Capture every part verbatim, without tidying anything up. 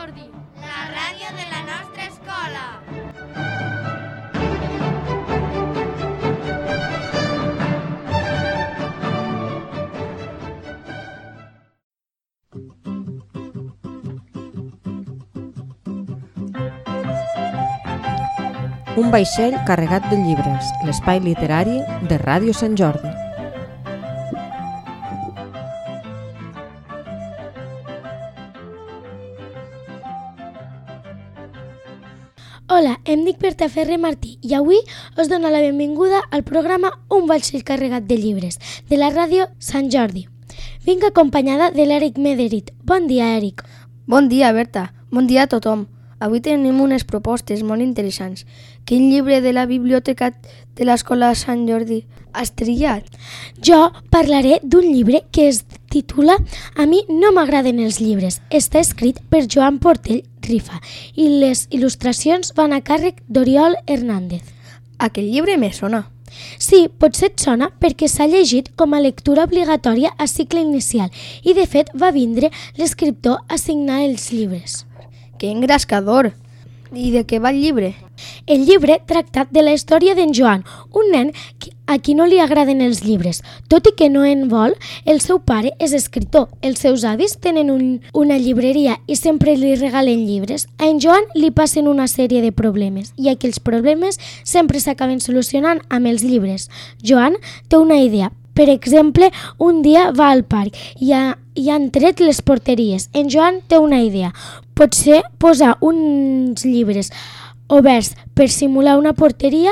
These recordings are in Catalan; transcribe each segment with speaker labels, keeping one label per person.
Speaker 1: Jordi, la ràdio de la nostra escola.
Speaker 2: Un vaixell carregat de llibres, l'espai literari de Ràdio Sant Jordi.
Speaker 3: Hola, em dic Berta Ferrer Martí i avui us dono la benvinguda al programa Un vaixell carregat de llibres de la Ràdio Sant Jordi. Vinc acompanyada de l'Eric Mederit. Bon dia, Eric.
Speaker 4: Bon dia, Berta. Bon dia a tothom. Avui tenim unes propostes molt interessants. Quin llibre de la biblioteca de l'Escola Sant Jordi has triat?
Speaker 3: Jo parlaré d'un llibre que es titula A mi no m'agraden els llibres. Està escrit per Joan Portell Rifa i les il·lustracions van a càrrec d'Oriol Hernández.
Speaker 4: Aquest llibre me sona.
Speaker 3: Sí, potser et sona perquè s'ha llegit com a lectura obligatòria a cicle inicial i de fet va vindre l'escriptor a signar els llibres.
Speaker 4: Que engrescador! I de què va el llibre?
Speaker 3: El llibre tracta de la història d'en Joan, un nen a qui no li agraden els llibres. Tot i que no en vol, el seu pare és escriptor, els seus avis tenen un, una llibreria i sempre li regalen llibres. A en Joan li passen una sèrie de problemes i aquells problemes sempre s'acaben solucionant amb els llibres. Joan té una idea. Per exemple, un dia va al parc i, ha, i han tret les porteries. En Joan té una idea. Potser posar uns llibres oberts per simular una porteria.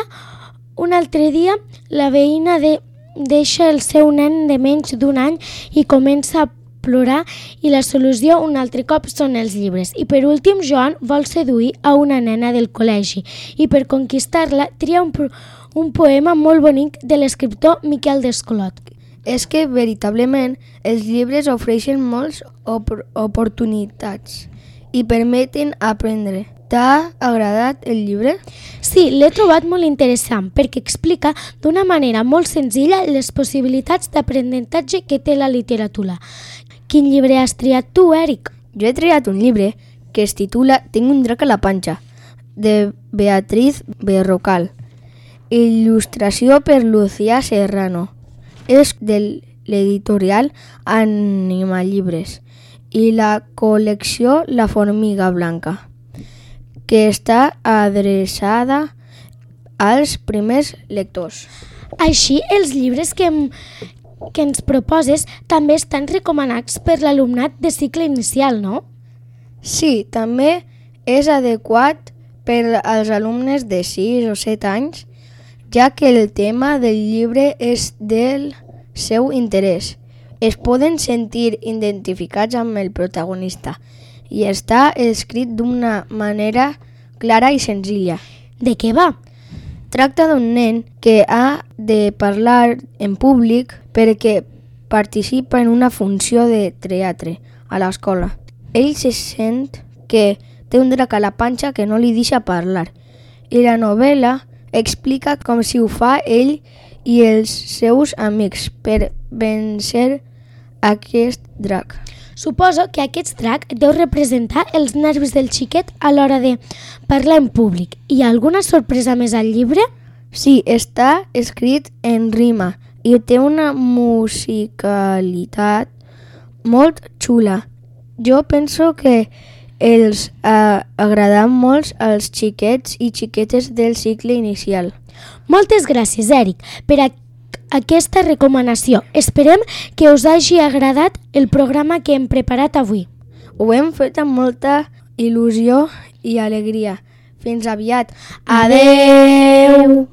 Speaker 3: Un altre dia, la veïna de, deixa el seu nen de menys d'un any i comença a plorar i la solució un altre cop són els llibres. I per últim, Joan vol seduir a una nena del col·legi i per conquistar-la tria un, un poema molt bonic de l'escriptor Miquel Descolot.
Speaker 4: És que, veritablement, els llibres ofereixen moltes op- oportunitats i permeten aprendre. T'ha agradat el llibre?
Speaker 3: Sí, l'he trobat molt interessant perquè explica d'una manera molt senzilla les possibilitats d'aprenentatge que té la literatura. Quin llibre has triat tu, Eric?
Speaker 4: Jo he triat un llibre que es titula Tinc un drac a la panxa, de Beatriz Berrocal. Il·lustració per Lucía Serrano. És de l'editorial Animalibres i la col·lecció La Formiga Blanca, que està adreçada als primers lectors.
Speaker 3: Així, els llibres que, em, que ens proposes també estan recomanats per l'alumnat de cicle inicial, no?
Speaker 4: Sí, també és adequat per als alumnes de sis o set anys, ja que el tema del llibre és del seu interès. Es poden sentir identificats amb el protagonista i està escrit d'una manera clara i senzilla.
Speaker 3: De què va?
Speaker 4: Tracta d'un nen que ha de parlar en públic perquè participa en una funció de teatre a l'escola. Ell se sent que té un drac a la panxa que no li deixa parlar i la novel·la explica com si ho fa ell i els seus amics per vèncer aquest drac.
Speaker 3: Suposo que aquest drac deu representar els nervis del xiquet a l'hora de parlar en públic. Hi ha alguna sorpresa més al llibre?
Speaker 4: Sí, està escrit en rima i té una musicalitat molt xula. Jo penso que els ha agradat molt als xiquets i xiquetes del cicle inicial.
Speaker 3: Moltes gràcies, Eric, per a aquesta recomanació. Esperem que us hagi agradat el programa que hem preparat avui.
Speaker 4: Ho hem fet amb molta il·lusió i alegria. Fins aviat.
Speaker 3: Adeu!